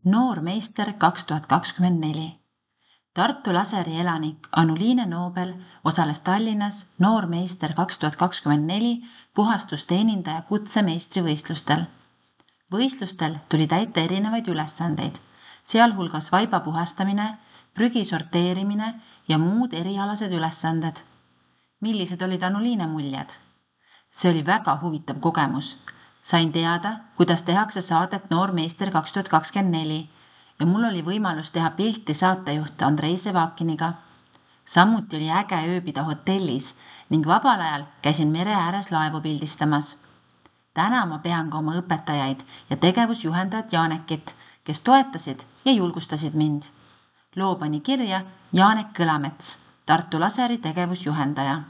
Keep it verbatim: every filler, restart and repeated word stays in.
Noor meister kaks tuhat kakskümmend neli. Tartu Laseri elanik Anuliine Noobel osales Tallinnas Noor meister kaks tuhat kakskümmend neli puhastusteenindaja kutsemeistrivõistlustel. Võistlustel tuli täita erinevaid ülesandeid, sealhulgas vaiba puhastamine, prügi sorteerimine ja muud erialased ülesanded. Millised olid Anuliine muljed? See oli väga huvitav kogemus. Sain teada, kuidas tehakse saadet Noor meister kaks tuhat kakskümmend neli ja mul oli võimalus teha pilti saatejuht Andrei Sevakiniga. Samuti oli äge ööbida hotellis ning vabal ajal käisin mere ääres laevu pildistamas. Täna ma pean ka oma õpetajaid ja tegevusjuhendajat Janekit, kes toetasid ja julgustasid mind. Loo pani kirja Janek Kõlamets, Tartu Laseri tegevusjuhendaja.